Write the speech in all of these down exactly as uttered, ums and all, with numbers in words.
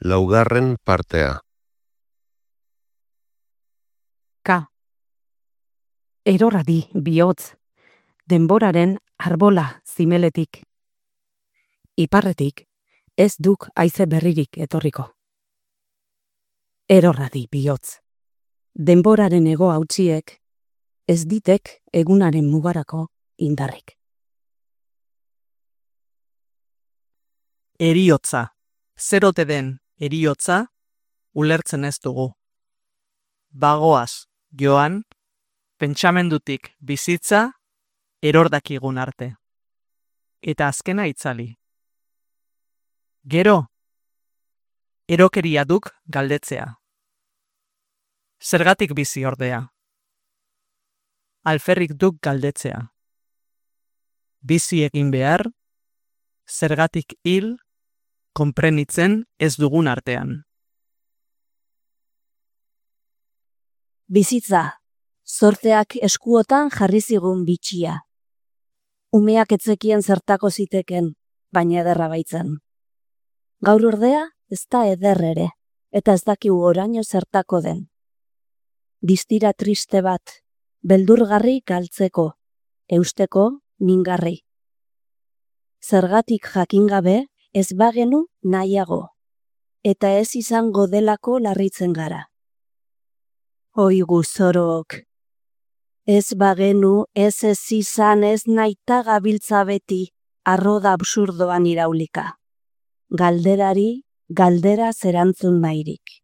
Laugarren partea. Ka. Eroradi bihotz, denboraren arbola zimeletik. Iparretik ez duk haize berririk etorriko. Eroradi bihotz, denboraren ego hautsiek ez ditek egunaren mugarako indarrik. Eriotza. Zer ote den eriotza, ulertzen ez dugu. Bagoaz, joan, pentsamendutik bizitza, erordakigun arte. Eta azkena itzali. Gero, erokeria duk galdetzea. Zergatik bizi ordea. Alferrik duk galdetzea. Bizi egin behar, zergatik hil, konprenitzen ez dugun artean. Bizitza, zorteak eskuotan jarri zigun bitxia. Umeak etzekien zertako ziteken, baina ederra baitzen. Gaur ordea ez da eder ere, eta ez dakigu oraino zertako den. Distira triste bat, beldurgarri galtzeko, eusteko mingarri. Zergatik jakingabe ez bagenu nahiago, eta ez izango delako larritzen gara. Oigu zorok, ez bagenu ez ez izan ez naita gabiltza beti arroda absurdoan iraulika. Galderari, galdera zerantzun nahirik.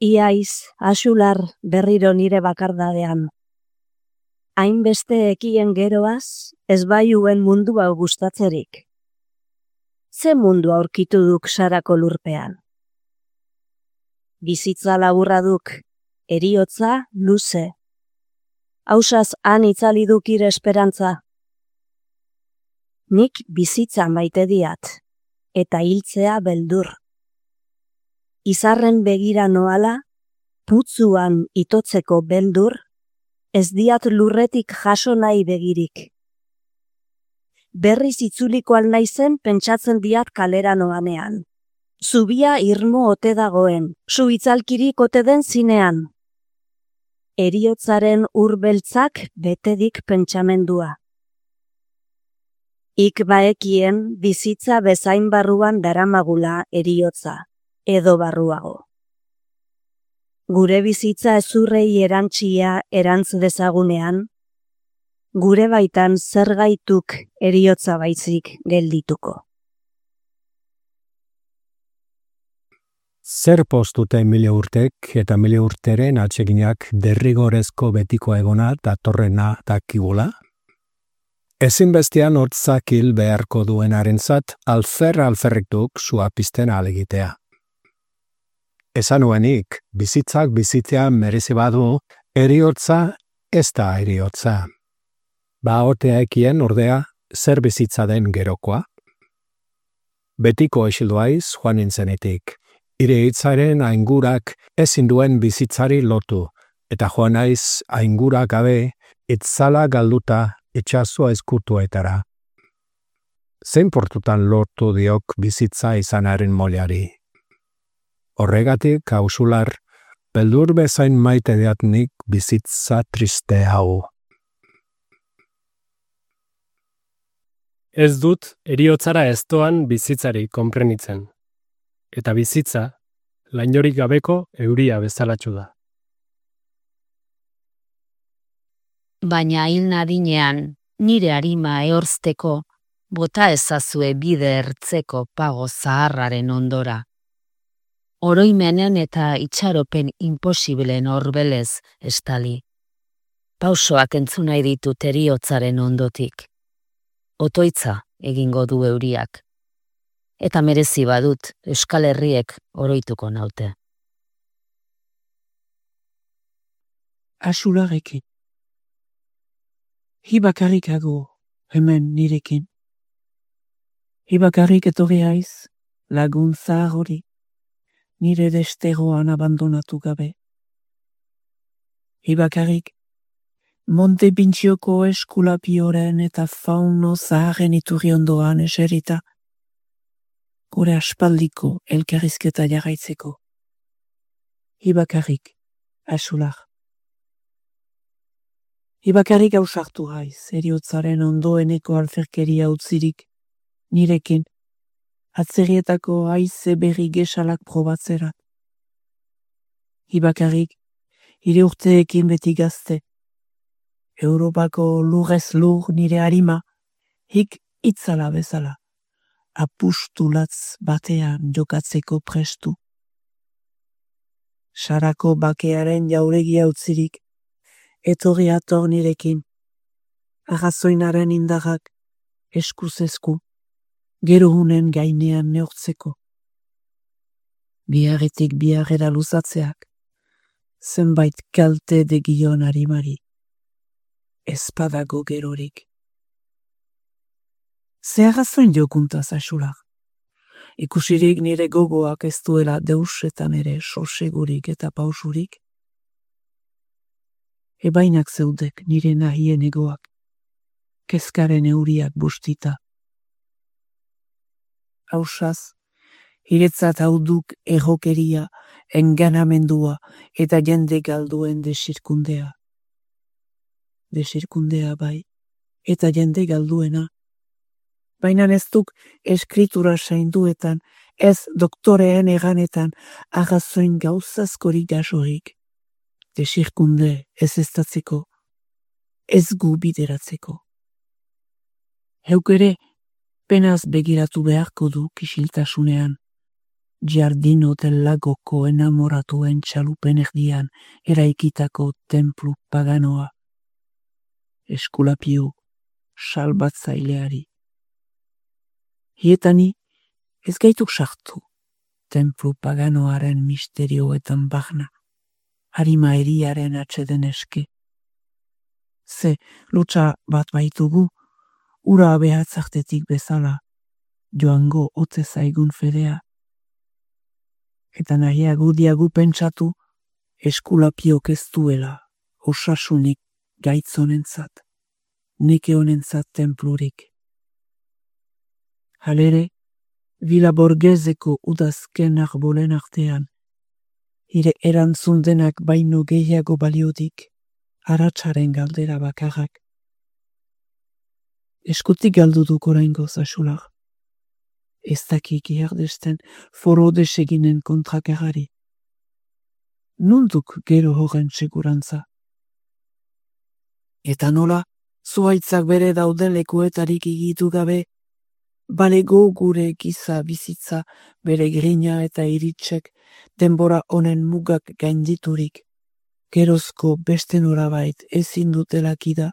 Iaiz, asular berriro nire bakardadean. Hainbeste ekien geroaz, ez baiuen mundua gustatzerik. Ze mundu aurkitu duk sarako lurpean? Bizitza laburra duk, eriotza luze. Hausaz han itzali duk ire esperantza. Nik bizitza maite diat, eta hiltzea beldur. Izarren begira noala, putzuan itotzeko beldur, ez diat lurretik jaso nahi begirik. Berriz itzuliko alnaizen pentsatzen diat kalera noanean. Zubia irmo ote dagoen, zu itzalkirik ote den zinean. Eriotzaren urbeltzak betedik pentsamendua. Ik baekien bizitza bezain barruan daramagula eriotza, edo barruago. Gure bizitza ezurrei erantzia erantz dezagunean, gure baitan zergaituk eriotza baizik geldituko. Zer postute mila urtek eta mila urteren atseginak derrigorezko betiko egona datorrena dakigula? Ezinbestean hortzak hil beharko duenarentzat alfer alferriktuk sua pizten alegitea. Esan nuenik, bizitzak bizitzea merezi badu, eriotza ez da eriotza. Ba otea ekien ordea zer bizitza den gerokoa? Betiko esilduaiz joan nintzenetik. Ire hitzaren aingurak ezin duen bizitzari lotu, eta joan naiz aingura gabe itzala galduta itxasua eskutuetara. Zein portutan lortu diok bizitza izanaren moleari. Horregatik, hausular, beldur bezain maite diatnik bizitza triste hau. Ez dut eriotzara eztoan bizitzari konprenitzen. Eta bizitza, lainorik gabeko euria bezalatxu da. Baina hil nadinean, nire arima ehorzteko, bota ezazue bide ertzeko pago zaharraren ondora. Oroimenen eta itxaropen imposiblen horbelez estali. Pausoak entzunai ditut eriotzaren ondotik. Otoitza egingo du euriak. Eta merezi badut Euskal Herriek oroituko naute. Asularekin. Hibakarrik ago, hemen nirekin. Hibakarrik etorri haiz, lagun zahar hori, nire desteroan abandonatu gabe. Hibakarrik, Monte Pintxioko eskulapioren eta fauno zaharren iturri ondoan eserita, gure aspaldiko elkarrizketa jarraitzeko. Ibakarrik, Axular. Ibakarrik ausartu haiz, eriotzaren ondoeneko alferkeria utzirik, nirekin, atzerrietako haize berri gesalak probatzerat. Ibakarrik, hire urteekin beti gazte, Europako lurrez lur nire harima, hik itzala bezala, apustulatz batean jokatzeko prestu. Sarako bakearen jauregia utzirik, etorri ator nirekin, arrazoinaren indarrak eskuz esku, gerohunen gainean neortzeko. Biarretik biarrera luzatzeak, zenbait kalte degion harimari, espadago gerorik. Ze arrazoin jokuntaz, Axular. Ikusirik nire gogoak ez duela deusetan ere sosegurik eta pausurik. Ebainak zeudek nire nahien egoak, kezkaren euriak bustita. Hausaz, hiretzat hauduk errokeria, enganamendua eta jende galduen desirkundea. Desirkundea bai, eta jende galduena. Baina ez duk eskritura sainduetan, ez doktoreen eganetan, arrazoin gauzazkorik gasorik. Desirkunde ez estatzeko, ez gu bideratzeko. Heuk ere, penaz begiratu beharko du kisiltasunean, Giardino del Lagoko enamoratuen txalupen erdian eraikitako templu paganoa. Eskulapio, salbatzaileari. Hietani ez gaituk sartu, templu paganoaren misterioetan bagna, harima eriaren atxeden eske. Ze lutsa bat baitugu, ura behatzartetik bezala, joango ote zaigun fedea. Eta nahiagu diagu pentsatu, eskulapiok ez duela, osasunik gaitzonentzat, neke honentzat templurik. Halere, Villa Borgheseko udazken arbolen artean, hire erantzundenak baino gehiago baliodik, aratsaren galdera bakarrak. Eskutik galdu duk oraingoz, Axular. Ez dakik iardesten foro deseginen kontrakarari. Nunduk gero horren segurantza. Eta nola, zuaitzak bere dauden lekuetarik igitu gabe, balego gure giza bizitza bere grina eta iritsek denbora honen mugak gainditurik, gerozko beste norabait ezin dutelakida.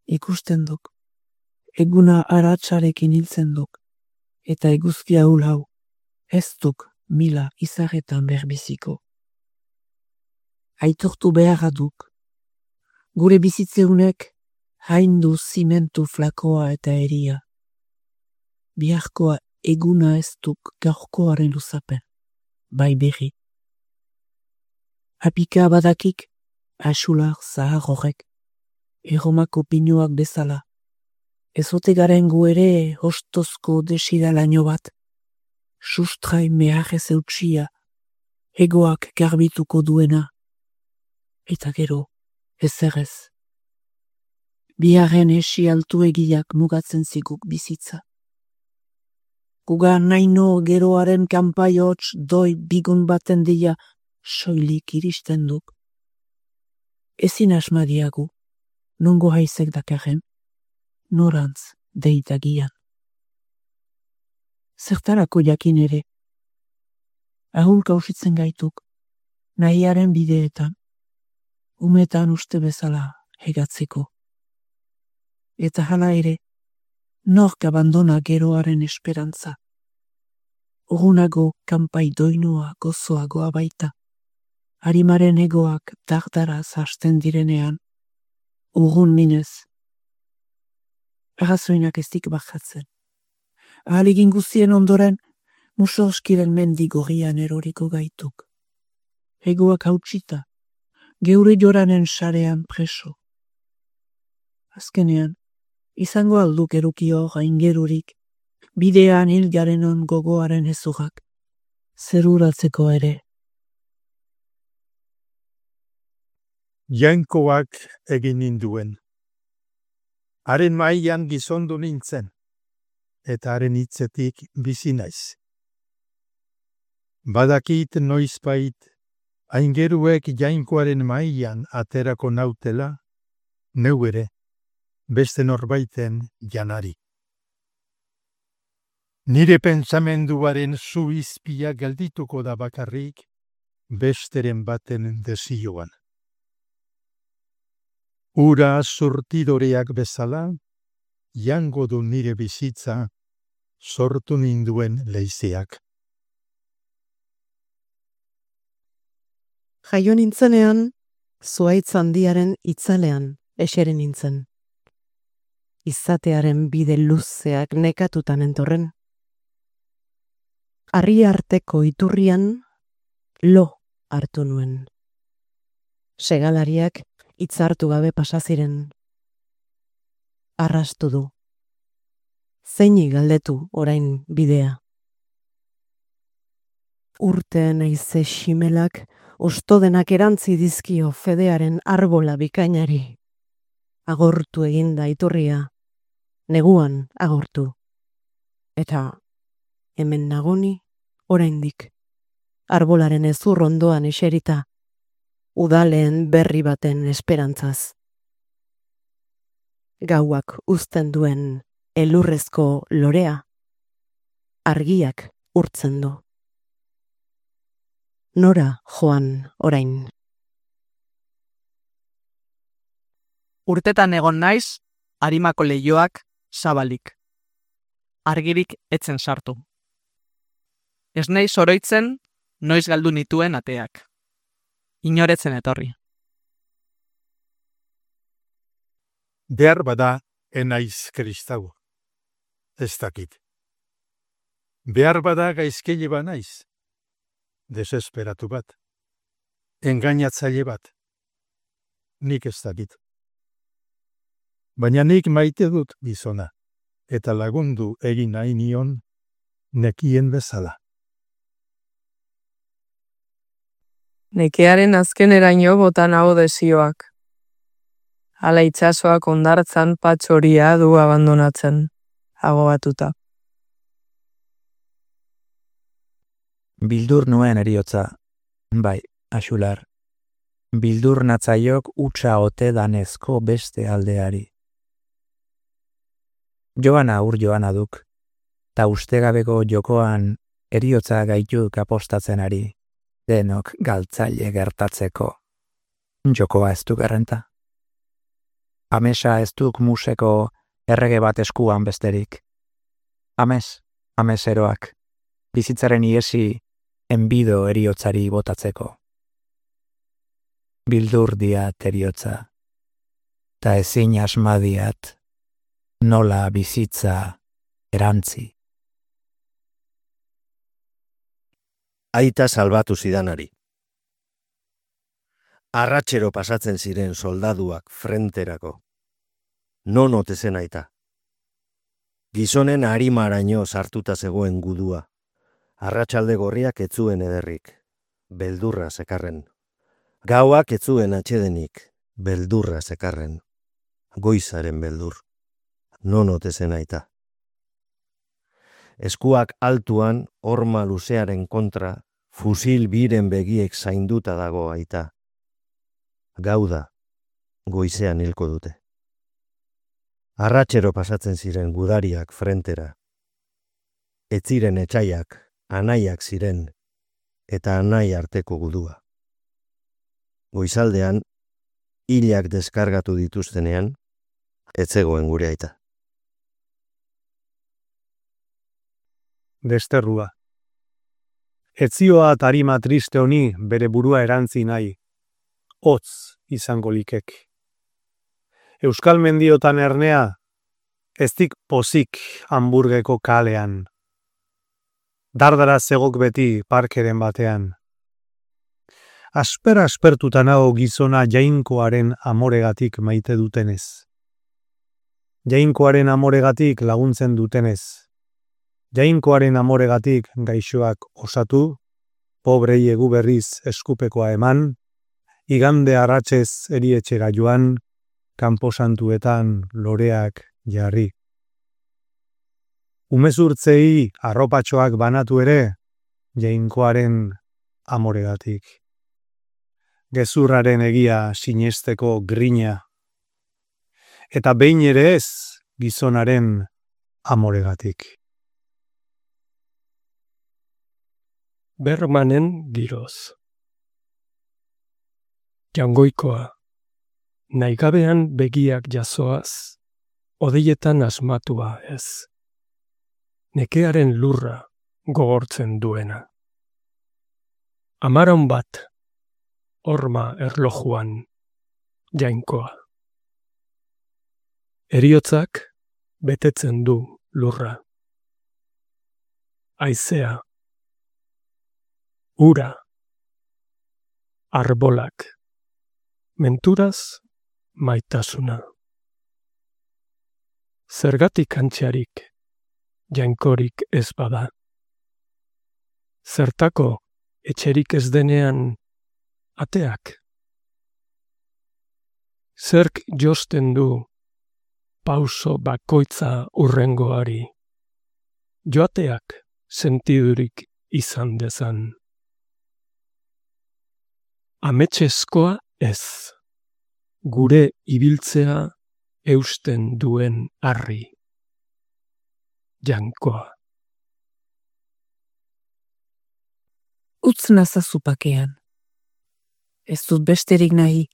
Ikusten duk, eguna aratsarekin hiltzen duk, eta eguzkia hul hau, ez duk mila izarretan berbiziko. Aitortu beharra duk, gure bizitzeunek haindu zimentu flakoa eta eria. Biharkoa eguna ez duk gaurkoaren luzapen, bai berri. Apika badakik, Axular zahar horrek, erromako pinuak bezala. Ezote garen gu ere hostozko desiralaino bat, sustrai meharrez eutxia, egoak garbituko duena, eta gero ezerrez. Biharren esi altu egiak mugatzen ziguk bizitza. Guga naino geroaren kanpai hots doi bigun baten dia soilik iristen duk. Ezin asmadiagu, nongo haizek dakarren, norantz deitagian. Zertarako jakin ere, ahul kausitzen gaituk, nahiaren bideetan, umetan uste bezala hegatzeko. Eta hala ere, nork abandona geroaren esperantza. Urunago kanpai doinua gozoagoa baita, harimaren egoak dardaraz hasten direnean, urrun minez. Arrazoinak ez dik bajatzen. Ahalegin guztien ondoren, musorskiren mendi gorrian eroriko gaituk. Egoak hautsita, geure joranen sarean preso. Azkenean, izango alduk erukio aingerurik, bidean hil garenon gogoaren ezugak, zeruratzeko ere. Jainkoak egin ninduen. Haren mailan gizondu nintzen, eta haren hitzetik bizi naiz. Badakit noizbait, aingeruek jainkoaren mailan aterako nautela, neu ere, beste norbaiten janari. Nire pentsamenduaren zu izpia geldituko da bakarrik, besteren baten desioan. Ura surtidoreak bezala, jango du nire bizitza, sortu ninduen leizeak. Jaio nintzenean, zuhaitz handiaren itzalean eseri nintzen. Izatearen bide luzeak nekatutan entorren. Harri arteko iturrian lo hartu nuen. Segalariak hitzartu gabe pasaziren. Arrastu du. Zeini galdetu orain bidea. Urteen aize ximelak ostodenak erantzi dizkio fedearen arbola bikainari. Agortu eginda iturria, neguan agortu. Eta hemen nagoni oraindik, arbolaren ezur ondoan eserita, udaleen berri baten esperantzaz. Gauak uzten duen elurrezko lorea, argiak urtzen du. Nora joan orain. Urtetan egon naiz, harimako leihoak zabalik. Argirik etzen sartu. Ez naiz oroitzen, noiz galdu nituen ateak. Inoretzen etorri. Behar bada enaiz kristau. Ez dakit. Behar bada gaizkile ba naiz. Desesperatu bat. Engainatzaile bat. Nik ez dakit. Baina nik maite dut gizona, eta lagundu egin nahi nion nekien bezala. Nekearen azkeneraino bota nago desioak. Hala itsasoak hondartzan patxoria du abandonatzen, agobatuta. Bildur nuen eriotza, bai, axular. Bildur natzaiok utxa ote danezko beste aldeari. Joana ur joana duk, ta ustegabeko jokoan eriotza gaituk apostatzen ari, denok galtzaile gertatzeko. Jokoa ez duk errenta. Amesa ez duk museko errege bat eskuan besterik. Ames, ameseroak, bizitzaren iesi enbido eriotzari botatzeko. Bildur diat eriotza, ta ezin asmadiat, nola bizitza erantzi. Aita salbatu zidanari. Arratxero pasatzen ziren soldaduak frenterako. Non ote zen aita. Gizonen harimaraino sartuta zegoen gudua. Arratsalde gorriak etzuen ederrik. Beldurra zekarren. Gauak etzuen atxedenik. Beldurra zekarren. Goizaren beldur. Non ote zen aita. Eskuak altuan, horma luzearen kontra, fusil biren begiek zainduta dago aita. Gauda, goizean hilko dute. Arratxero pasatzen ziren gudariak frentera. Ez ziren etxaiak, anaiak ziren, eta anai arteko gudua. Goizaldean, hilak deskargatu dituztenean, ez zegoen gure aita. Desterrua. Etzioa tarima triste honi bere burua erantzi nahi. Hotz izango likek. Euskal mendiotan ernea, eztik pozik Hamburgeko kalean. Dardara zegok beti parkeren batean. Asper aspertuta nago gizona jainkoaren amoregatik maite dutenez. Jainkoaren amoregatik laguntzen dutenez. Jainkoaren amoregatik gaixoak osatu, pobrei egu berriz eskupekoa eman, igande arratsez erietxera joan, kanposantuetan loreak jarri. Umezurtzei arropatxoak banatu ere, jainkoaren amoregatik. Gezurraren egia sinesteko grina. Eta behin ere ez gizonaren amoregatik. Bermanen giroz. Jangoikoa. Naigabean begiak jasoaz, odeietan asmatua ez. Nekearen lurra gogortzen duena. Amaron bat, horma erlojuan, jainkoa. Heriotzak betetzen du lurra. Haizea. Ura. Arbolak. Menturaz maitasuna. Zergatik antxarik, jainkorik ez bada. Zertako etxerik ez denean ateak. Zerk josten du pauso bakoitza urrengoari. Joateak sentidurik izan dezan. Ametseskoa ez. Gure ibiltzea eusten duen harri. Jainkoa. Utz nazazu pakean. Ez dut besterik nahi.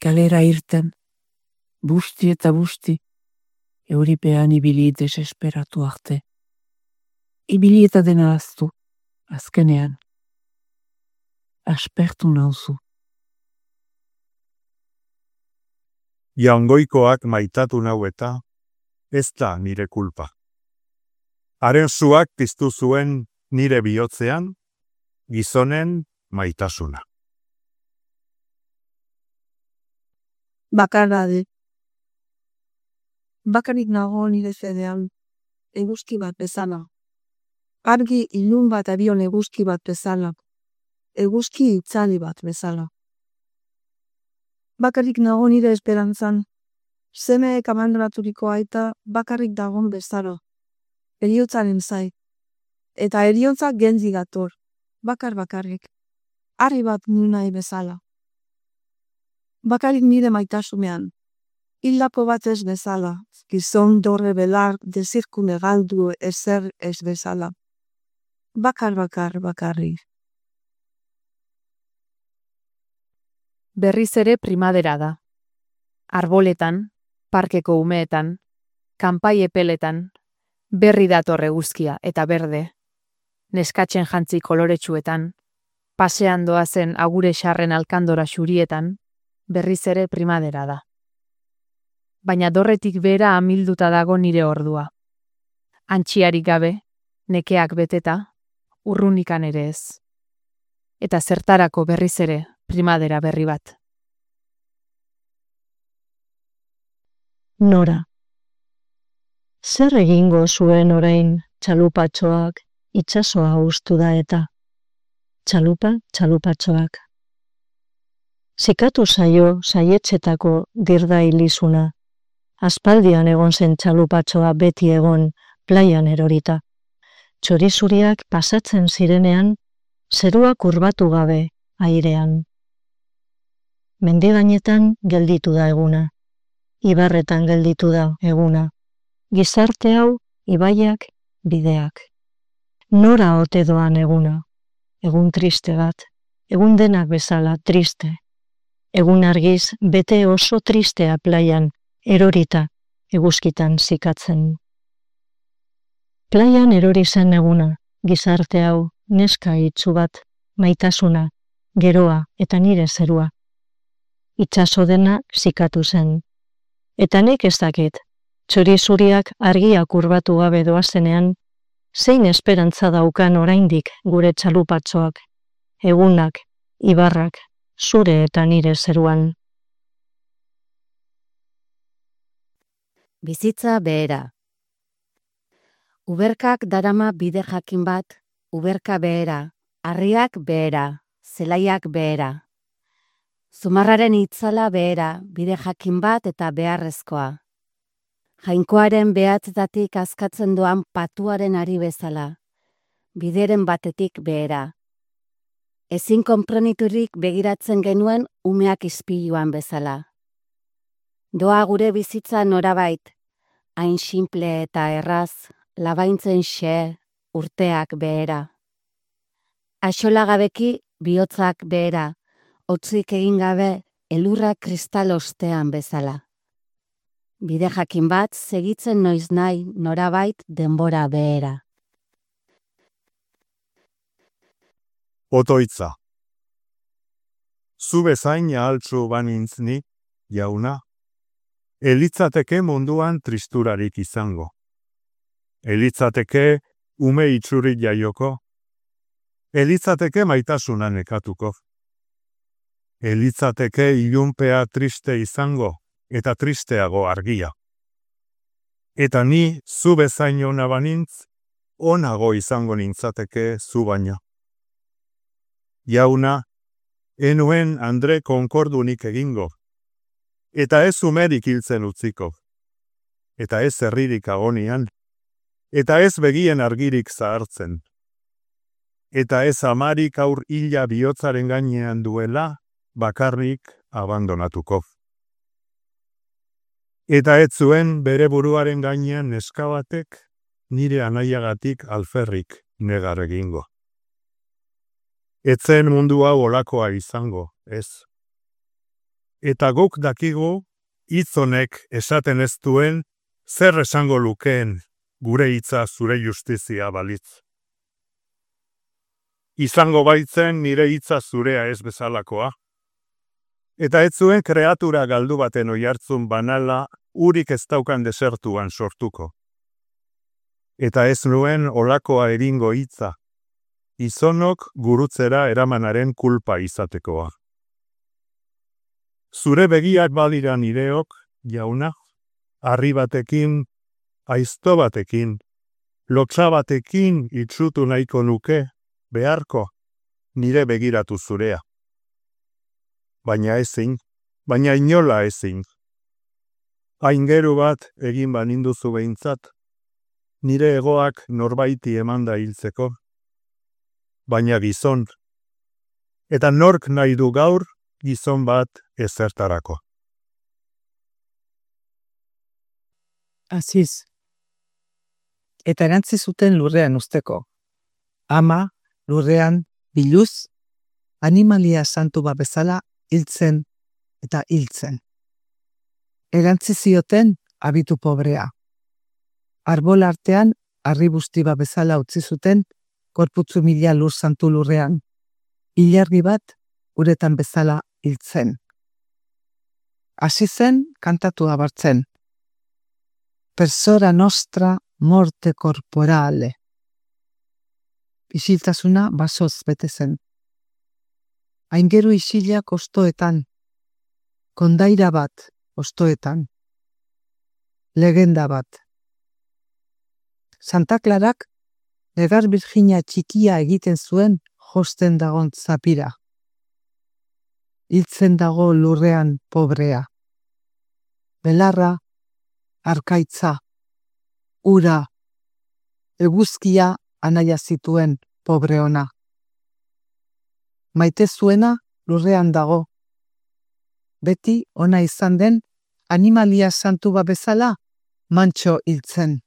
Kalera irten. Busti eta busti. Euripean ibili desesperatu arte. Ibili eta dena aztu. Azkenean. Aspertu nauzu. Jaungoikoak maitatu nau eta ez da nire kulpa. Haren zuak piztu zuen nire bihotzean, gizonen maitasuna. Bakarrade. Bakarik nago nire zedean, eguzki bat bezala. Argi ilun bat abion eguzki bat bezala. Eguzki itzali bat bezala. Bakarik nago nire esperantzan, semeek abandonaturiko aita bakarrik dagon bezala. Heriotzaren zai. Eta heriotza genzi gator, bakar bakarrik. Harri bat nunai bezala. Bakarik nire maitasumean. Hildako bat ez bezala, gizon dorre belar dezirkune galdu ezer ez bezala. Bakar bakar bakarrik. Berriz ere primadera da. Arboletan, parkeko umeetan, kanpai epeletan, berri dator eguzkia eta berde, neskatzen jantzi koloretsuetan, pasean doazen agure xarren alkandora xurietan, berriz ere primadera da. Baina dorretik bera amilduta dago nire ordua. Antxiarik gabe, nekeak beteta, urrunikan ere ez. Eta zertarako berriz ere primadera berri bat. Nora. Zer egingo zuen orain txalupatxoak itsasoa ustu da eta. Txalupa, txalupatxoak. Zikatu zaio saietxetako dirda ilizuna. Aspaldian egon zen txalupatxoa beti egon plaian erorita. Txorizuriak pasatzen zirenean, zerua kurbatu gabe airean. Mendigainetan gelditu da eguna. Ibarretan gelditu da eguna. Gizarte hau, ibaiak, bideak. Nora ote doan eguna. Egun triste bat. Egun denak bezala triste. Egun argiz bete oso tristea plaian, erorita, eguzkitan zikatzen. Plaian erori zen eguna, gizarte hau, neska itsu bat, maitasuna, geroa eta nire zerua. Itsaso dena zikatu zen. Eta nik ez dakit, txorizuriak argia kurbatu gabe doazenean, zein esperantza daukan oraindik gure txalupatxoak, egunak, ibarrak, zure eta nire zeruan. Bizitza behera. Uberkak darama bide jakin bat, uberka behera, harriak behera, zelaiak behera. Zumarraren itzala behera, bide jakin bat eta beharrezkoa. Jainkoaren behatzetatik azkatzen doan patuaren ari bezala, bideren batetik behera. Ezin konpreniturik begiratzen genuen umeak ispiluan bezala. Doa gure bizitza norabait, hain simple eta erraz, labaintzen xe, urteak behera. Axolagabeki bihotzak behera, hotzik egin gabe elurra kristal ostean bezala. Bide jakin bat segitzen noiz nahi norabait denbora behera. Otoitza. Zu bezain ahaltsu banintz ni, jauna, elitzateke munduan tristurarik izango. Elitzateke ume itxuri jaioko. Elitzateke maitasuna nekatuko. Elitzateke ilunpea triste izango eta tristeago argia. Eta ni zu bezain ona banintz, onago izango nintzateke zu baina. Jauna, enuen Andre konkordunik egingo. Eta ez umerik hiltzen utziko. Eta ez herririk agonian. Eta ez begien argirik zahartzen. Eta ez amarik aur hila bihotzaren gainean duela, bakarrik abandonatuko. Eta ez zuen bere buruaren gainean neska batek, nire anaiagatik alferrik negar egingo. Etzen mundu hau olakoa izango, ez. Eta guk dakigu, hitz honek esaten ez duen, zer esango lukeen gure hitza zure justizia balitz. Izango baitzen nire hitza zurea ez bezalakoa. Eta ez zuen kreatura galdu baten oihartzun banala urik ez daukan desertuan sortuko. Eta ez nuen olakoa eringo hitza, izonok gurutzera eramanaren kulpa izatekoa. Zure begiak badira nireok, jauna, harri batekin, aizto batekin, lotsa batekin itsutu nahiko nuke, beharko, nire begiratu zurea. Baina ezin, baina inola ezin. Aingeru bat egin baninduzu behintzat, nire egoak norbaiti emanda hiltzeko, baina gizon. Eta nork nahi du gaur, gizon bat ezertarako. Aziz. Eta erantzi zuten lurrean usteko. Ama, lurrean, biluz, animalia santu bat bezala hiltzen eta hiltzen. Erantzi zioten abitu pobrea. Arbol artean, harri busti bat bezala utzi zuten, korputzu mila lur santu lurrean. Ilargi bat, uretan bezala hiltzen. Hasi zen kantatu abartzen. Persora nostra morte corporale. Isiltasuna basoz bete zen. Aingeru isilak ostoetan. Kondaira bat ostoetan. Legenda bat. Santa Clarak negar Virginia txikia egiten zuen josten dagon zapira. Hiltzen dago lurrean pobrea. Belarra, arkaitza, ura, eguzkia anaia zituen pobre ona. Maite zuena lurrean dago. Beti ona izan den animalia santu bat bezala mantxo hiltzen.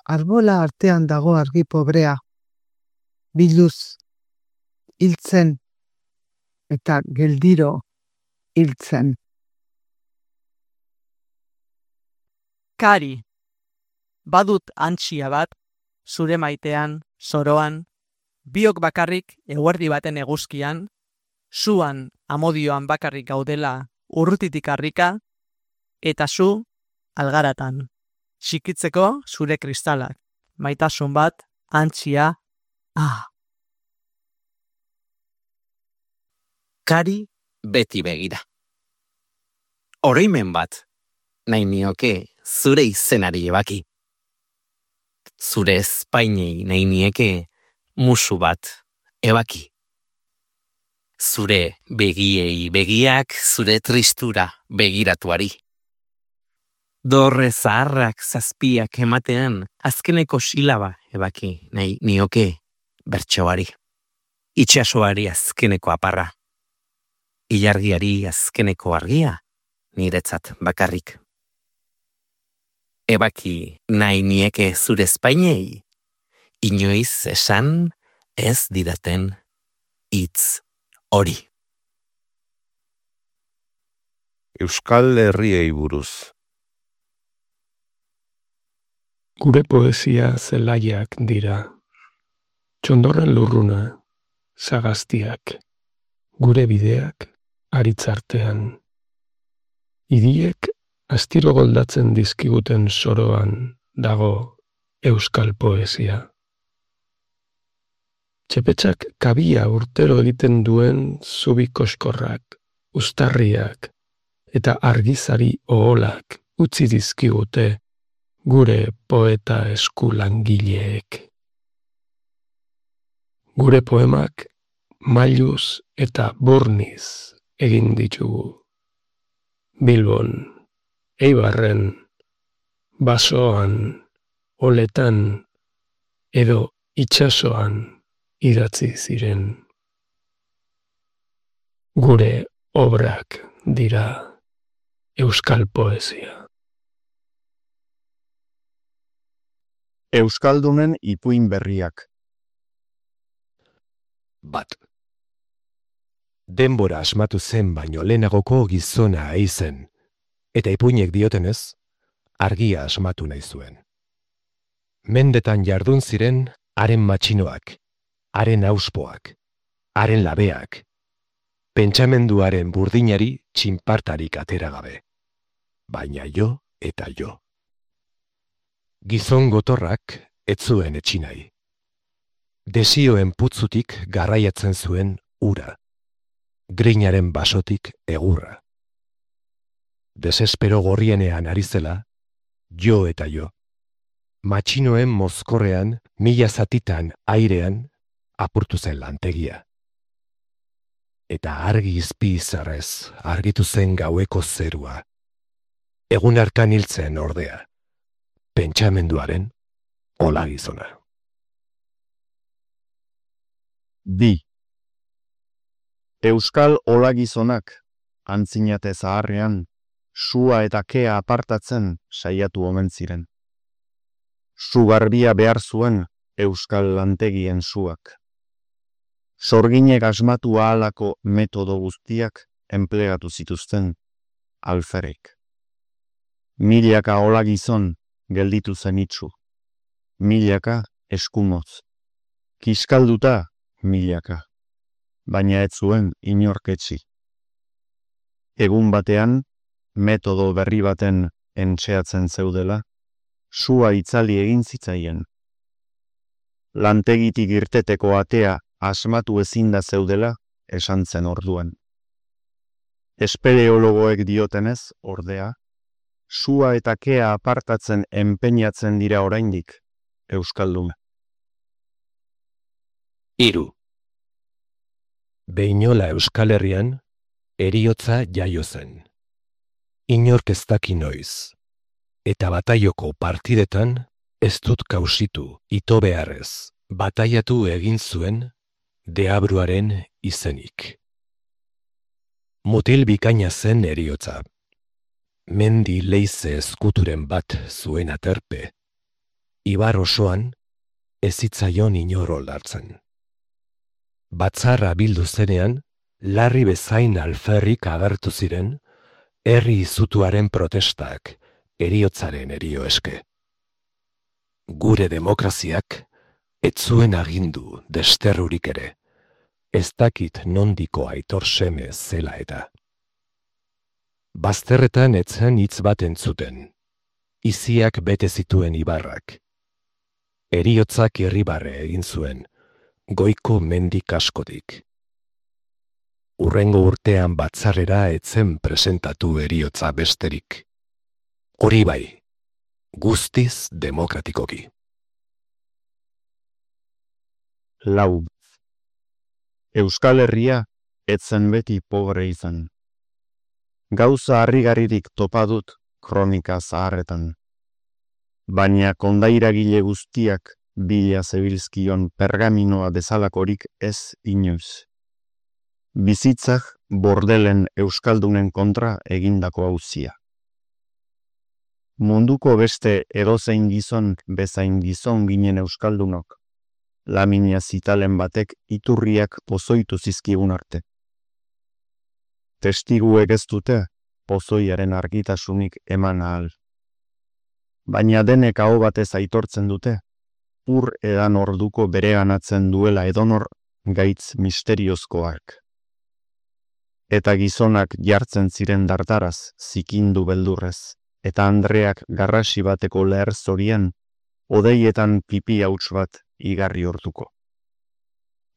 Arbola artean dago argi pobrea. Biluz, hiltzen eta geldiro hiltzen. Kari, badut antxia bat, zure maitean, zoroan, biok bakarrik eguerdi baten eguzkian, zuan amodioan bakarrik gaudela urrutitik harrika, eta zu algaratan. Txikitzeko zure kristalak, maitasun bat, antxia, ah. Kari beti begira. Oroimen bat, nahi nioke zure izenari ebaki. zure espainei nahi nieke musu bat, ebaki. Zure begiei begiak, zure tristura begiratuari. Dorre zaharrak zazpiak ematean, azkeneko silaba ebaki nahi nioke bertsoari. Itxasoari azkeneko aparra. Ilargiari azkeneko argia, niretzat bakarrik. Ebaki nahi nieke zure espainei, inoiz esan ez didaten hitz hori. Euskal Herriei buruz. Gure poesia zelaiak dira. Txondorren lurruna, sagaztiak, gure bideak aritzartean. Idiek astiro goldatzen dizkiguten soroan dago euskal poesia. Txepetxak kabia urtero egiten duen zubi koskorrak, uztarriak eta argizari oholak utzi dizkigute gure poeta eskulangileek. Gure poemak mailuz eta burniz egin ditugu. Bilbon, Eibarren, Basoan, Oletan edo itsasoan idatzi ziren. Gure obrak dira euskal poesia. Euskaldunen ipuin berriak. Bat. Denbora asmatu zen baino lehenagoko gizona aizen, eta ipuinek diotenez, argia asmatu nahi zuen. Mendetan jardun ziren haren matxinoak, haren auspoak, haren labeak, pentsamenduaren burdinari txinpartarik atera gabe, baina jo eta jo. Gizon gotorrak ez zuen etxinai. Desioen putzutik garraiatzen zuen ura, grinaren basotik egurra. Desespero gorrienean ari zela, jo eta jo. Matxinoen mozkorrean, mila zatitan airean, apurtu zen lantegia. Eta argi izpi izarrez argitu zen gaueko zerua. Egun arkan hiltzen ordea, pentsamenduaren olagizona. Bi. Euskal olagizonak, antzinate zaharrean, sua eta kea apartatzen saiatu omen ziren. Su garbia behar zuen euskal lantegien suak. Sorginek asmatu ahalako metodo guztiak enplegatu zituzten alferek. Milaka olagizon gelditu zen itxu. Milaka eskumotz. Kiskalduta milaka. Baina ez zuen inorketsi. Egun batean, metodo berri baten entxeatzen zeudela, sua itzali egin zitzaien. Lantegitik irteteko atea asmatu ezinda zeudela esan zen orduan. Espeleologoek diotenez, ordea, sua eta kea apartatzen enpeinatzen dira oraindik, euskaldun. Hiru. Behinola Euskal Herrian, heriotza jaio zen. Inork ez daki noiz, eta bataioko partidetan ez dut kausitu ito beharrez, bataiatu egin zuen deabruaren izenik. Mutil bikaina zen heriotza. Mendi leize eskuturen bat zuen aterpe. Ibar osoan ez zitzaion inor oldartzen. Batzarra bildu zenean, larri bezain alferrik agertu ziren, herri izutuaren protestak, heriotzaren herio eske. Gure demokraziak ez zuen agindu desterrurik ere, ez dakit nondiko aitor seme zela eta. Bazterretan etzen hitz bat entzuten, iziak bete zituen ibarrak. Heriotzak irribarre egin zuen, goiko mendik askodik. Urrengo urtean batzarrera etzen presentatu heriotza besterik. Hori bai, guztiz demokratikoki. lau. Euskal Herria etzen beti pobre izan. Gauza harrigarririk topa dut kronika zaharretan. Baina kondairagile guztiak bila zebilzkion pergaminoa bezalakorik ez inoiz. Bizitzak bordelen euskaldunen kontra egindako auzia. Munduko beste edozein gizon bezain gizon ginen euskaldunok, Lamina Zitalen batek iturriak pozoitu zizkigun arte. Testiguek ez dute pozoiaren argitasunik eman ahal. Baina denek aho batez aitortzen dute, ur edan orduko bereganatzen duela edonor gaitz misteriozkoak. Eta gizonak jartzen ziren dardaraz, zikindu beldurrez, eta Andreak garrasi bateko leher zorian, odeietan pipi hauts bat igarri hortuko.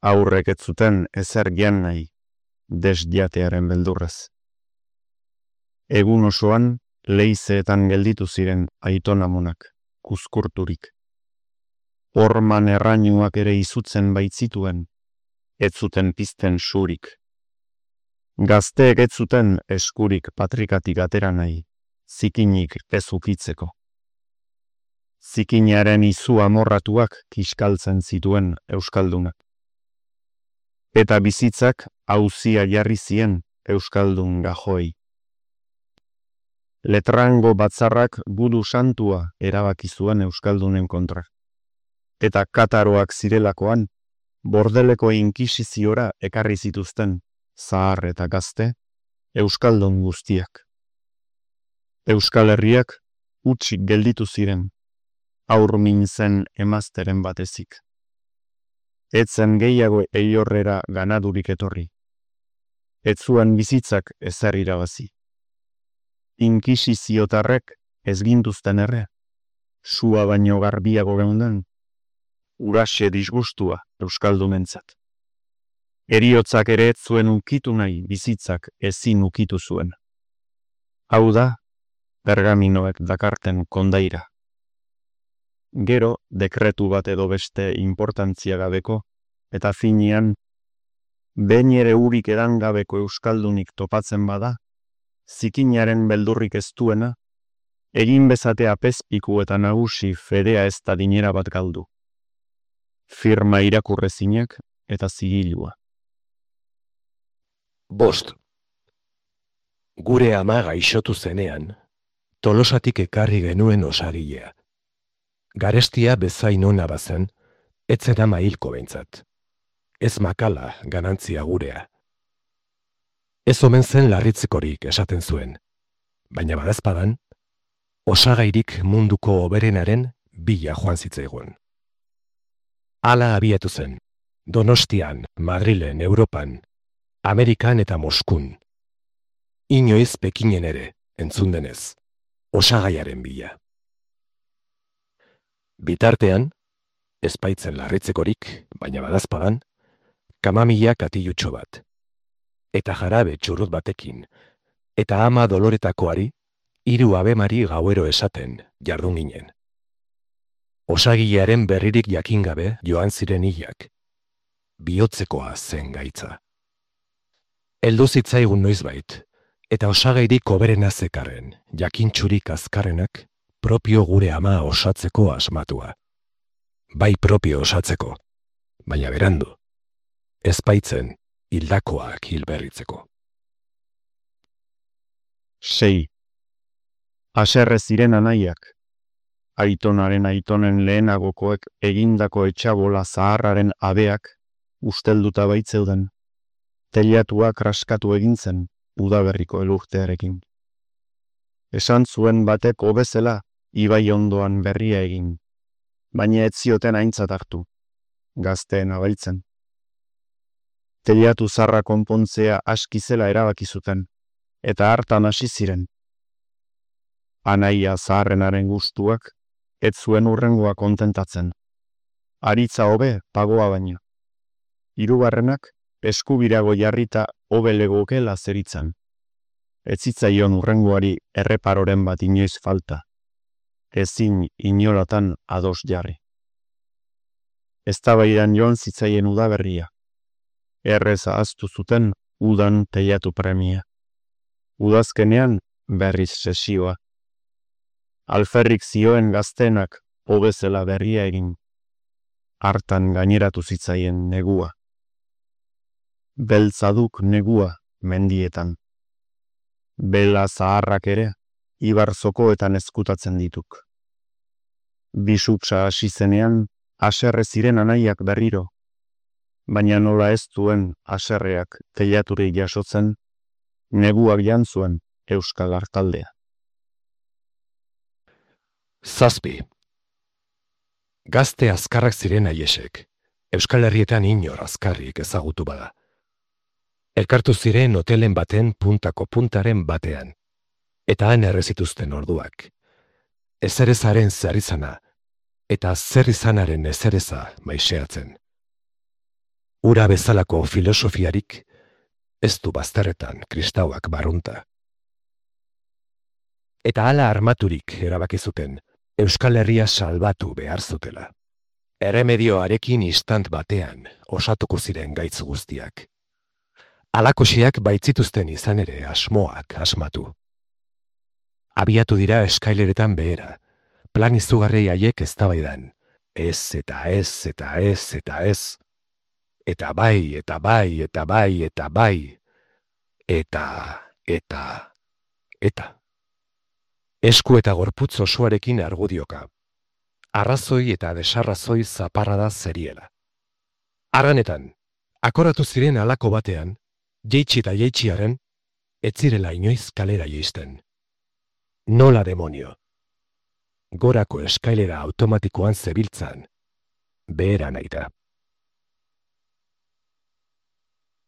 Aurrek ez zuten ezer gian nahi, desjatearen beldurrez. Egun osoan, leizeetan gelditu ziren aitonamonak, kuzkurturik. Horman errainuak ere izutzen baitzituen, ez zuten pizten surik. Gazteek ez zuten eskurik patrikatik atera nahi, zikinik ezukitzeko. Zikinaren izu amorratuak kiskaltzen zituen euskaldunak. Eta bizitzak auzia jarri zien euskaldun gajoi. Letrango batzarrak gudu santua erabaki zuen euskaldunen kontra. Eta kataroak zirelakoan, bordeleko inkisiziora ekarri zituzten, zahar eta gazte, euskaldun guztiak. Euskal Herriak utzik gelditu ziren, aur mintzen emazteren batezik. Etzen gehiago eiorrera ganadurik etorri. Ez zuen bizitzak ezer irabazi. Inkisiziotarrek ez gintuzten erre, sua baino garbiago geunden, uraxe disgustua euskaldunentzat. Heriotzak ere ez zuen ukitu nahi bizitzak ezin ukitu zuen. Hau da, pergaminoek dakarten kondaira. Gero, dekretu bat edo beste importantzia gabeko, eta finean, behin ere urik edan gabeko euskaldunik topatzen bada, zikinaren beldurrik ez duena, egin bezatea pezpiku eta nagusi fedea ez da dinera bat galdu. Firma irakurrezinak eta zigilua. Bost. Gure ama gaixotu zenean, Tolosatik ekarri genuen osagilea. Garestia bezain ona bazen, etzen ama hilko behintzat. Ez makala ganantzia gurea. Ez omen zen larritzekorik esaten zuen, baina badazpadan, osagairik munduko oberenaren bila joan zitzaigun. Hala abiatu zen, Donostian, Madrilen, Europan, Amerikan eta Moskun. Inoiz Pekinen ere, entzun denez, osagaiaren bila. Bitartean, ez baitzen larritzekorik, baina badazpadan, kamamila katilutxo bat, eta jarabe txurrut batekin, eta ama doloretakoari, hiru abemari gauero esaten jardun ginen. Osagilearen berririk jakingabe joan ziren hilak, bihotzekoa zen gaitza. Heldu zitzaigun noizbait, eta osagairik oberena zekarren, jakintxurik azkarrenak, propio gure ama osatzeko asmatua. Bai propio osatzeko, baina berandu, ez baitzen hildakoak hilberritzeko. Sei. Haserre ziren anaiak, aitonaren aitonen lehenagokoek egindako etxabola zaharraren abeak ustelduta baitzeuden, teliatuak raskatu egintzen udaberriko elurtearekin. Esan zuen batek hobezela ibai ondoan berria egin, baina ez zioten aintzat hartu, gazteen abailtzen. Teliatu zarra konpontzea askizela erabaki zuten, eta hartan hasi ziren. Anaia zaharrenaren gustuak, ez zuen urrengoa kontentatzen. Aritza hobe pagoa baino. Hirugarrenak eskubirago jarrita hobe legokela zeritzan. Ez zitzaion urrengoari erreparoren bat inoiz falta. Ezin inolatan ados jarri. Eztabaidan joan zitzaien udaberria. Errez ahaztu zuten udan teiatu premia. Udazkenean berriz sesioa. Alferrik zioen gaztenak hobezela berria egin. Hartan gaineratu zitzaien negua. Beltzaduk negua mendietan. Bela zaharrak ere, ibarzokoetan ezkutatzen dituk. Bisupsa hasi zenean, haserre ziren anaiak berriro, baina nola ez duen haserreak teiaturi jasotzen, neguak jantzuen Euskal Artaldea. Zazpi. Gazte azkarrak ziren aiesek, Euskal Herrietan inor azkarrik ezagutu bada. Elkartu ziren hotelen baten puntako puntaren batean, eta han errezituzten orduak. Ezerezaren zerizana, eta zerrizanaren ezereza maiseatzen. Ura bezalako filosofiarik, ez du bazterretan kristauak barrunta. Eta hala armaturik erabaki zuten, Euskal Herria salbatu behar zutela. Erremedioarekin istant batean osatuko ziren gaitz guztiak. Alakoxiak baitzituzten izan ere asmoak asmatu. Abiatu dira eskaileretan behera, plan izugarrei haiek eztabaidan. Ez eta ez eta ez eta ez. Eta bai, eta bai, eta bai, eta bai. Eta, eta, eta. Esku eta gorputz osoarekin argudioka. Arrazoi eta desarrazoi zaparrada zeriela. Arranetan, akoratu ziren halako batean, jeitsi eta jeitxiaren, ez zirela inoiz kalera jeisten. Nola demonio. Gorako eskailera automatikoan zebiltzan, behera nahi da.